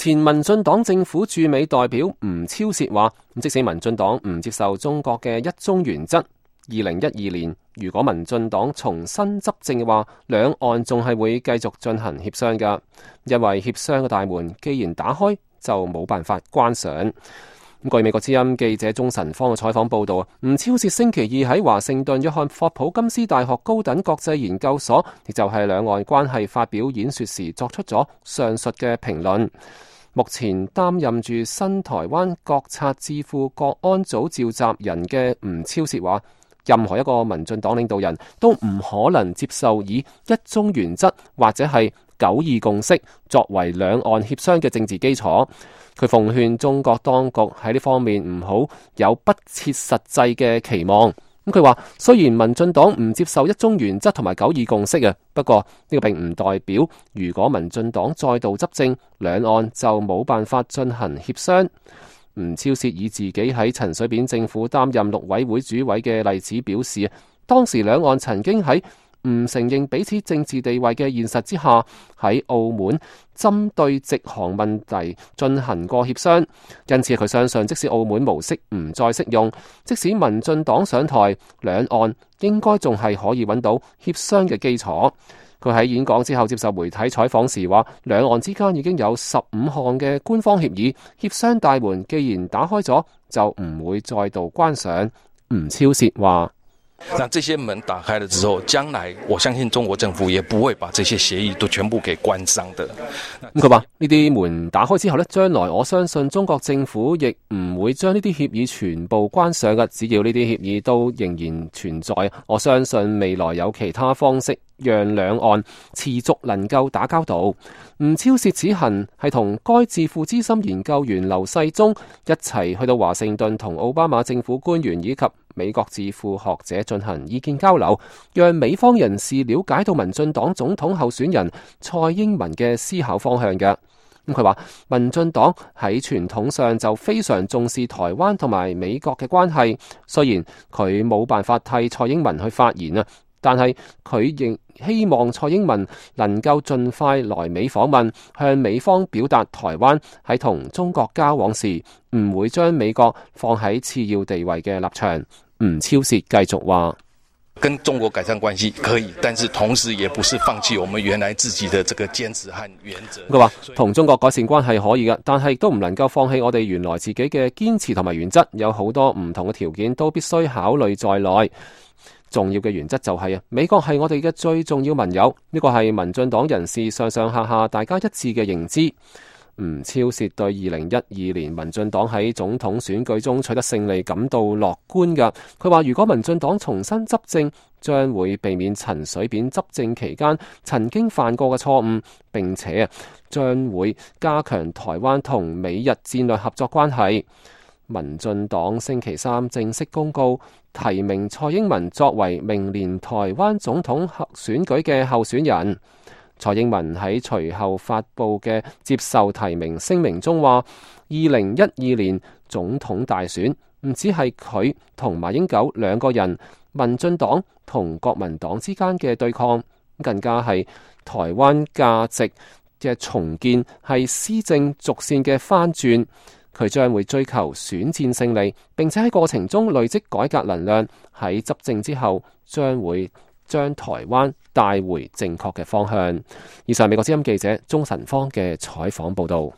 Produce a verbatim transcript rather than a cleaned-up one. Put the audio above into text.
前民進黨政府駐美代表吳釗燮話，即使民進黨唔接受中國嘅一中原則，二零一二年如果民進黨重新執政嘅話，兩岸仲係會繼續進行協商㗎，因為協商嘅大門既然打開，就冇辦法關上。據美國之音記者鍾晨芳嘅採訪報道，吳釗燮星期二喺華盛頓約翰霍普金斯大學高等國際研究所，亦就係兩岸關係發表演說時作出咗上述嘅評論。目前擔任住新台灣國策智庫國安組召集人嘅吳釗燮話，任何一個民進黨領導人都唔可能接受以一中原則或者係九二共識作為兩岸協商嘅政治基礎。佢奉勸中國當局喺呢方面唔好有不切實際嘅期望。咁佢話，雖然民進黨唔接受一中原則同埋九二共識啊，不過呢個並唔代表如果民進黨再度執政，兩岸就冇辦法進行協商。吳釗燮以自己喺陳水扁政府擔任陸委會主委嘅例子表示，當時兩岸曾經喺唔承認彼此政治地位嘅現實之下，喺澳門針對直航問題進行過協商，因此佢相信即使澳門模式唔再適用，即使民進黨上台，兩岸應該仲係可以揾到協商嘅基礎。佢喺演講之後接受媒體採訪時話，兩岸之間已經有十五項嘅官方協議，協商大門既然打開咗，就唔會再度關上。吳釗燮話，那這些門打開了之後，將來我相信中國政府也不會把這些協議都全部給關上的。咁佢話呢啲門打開之後呢，將來我相信中國政府亦唔會將呢啲協議全部關上嘅，只要呢啲協議都仍然存在，我相信未來有其他方式讓兩岸持續能夠打交道。吳釗燮此行係同該智庫資深研究員劉世忠一齊去到華盛頓，同奧巴馬政府官員以及美國智庫學者進行意見交流，讓美方人士了解到民進黨總統候選人蔡英文嘅思考方向嘅。咁佢話，民進黨喺傳統上就非常重視台灣同埋美國嘅關係，雖然佢冇辦法替蔡英文去發言啊，但係佢仍希望蔡英文能夠盡快來美訪問，向美方表達台灣喺同中國交往時唔會將美國放喺次要地位嘅立場。吳釗燮繼續話，跟中國改善關係可以，但是同時也不是放棄我們原來自己的這個堅持和原則。佢話同中國改善關係可以嘅，但係都唔能夠放棄我哋原來自己嘅堅持同埋原則，有好多唔同嘅條件都必須考慮在內。重要嘅原則就係啊，美國係我哋嘅最重要盟友，呢個係民進黨人士上上下下大家一致嘅認知。吳釗燮對二零一二年民進黨喺總統選舉中取得勝利感到樂觀㗎。佢話如果民進黨重新執政，將會避免陳水扁執政期間曾經犯過嘅錯誤，並且啊將會加強台灣同美日戰略合作關係。民進黨星期三正式公告提名蔡英文作為明年台灣總統選舉嘅候選人。蔡英文喺隨後發布嘅接受提名聲明中話，二零一二年總統大選唔只係佢同馬英九兩個人，民進黨同國民黨之間嘅對抗，更加係台灣價值嘅重建，係施政軸線嘅翻轉。佢將會追求選戰勝利，並且喺過程中累積改革能量，喺執政之後將會將台灣帶回正確嘅方向。以上美國之音記者鍾晨芳嘅採訪報道。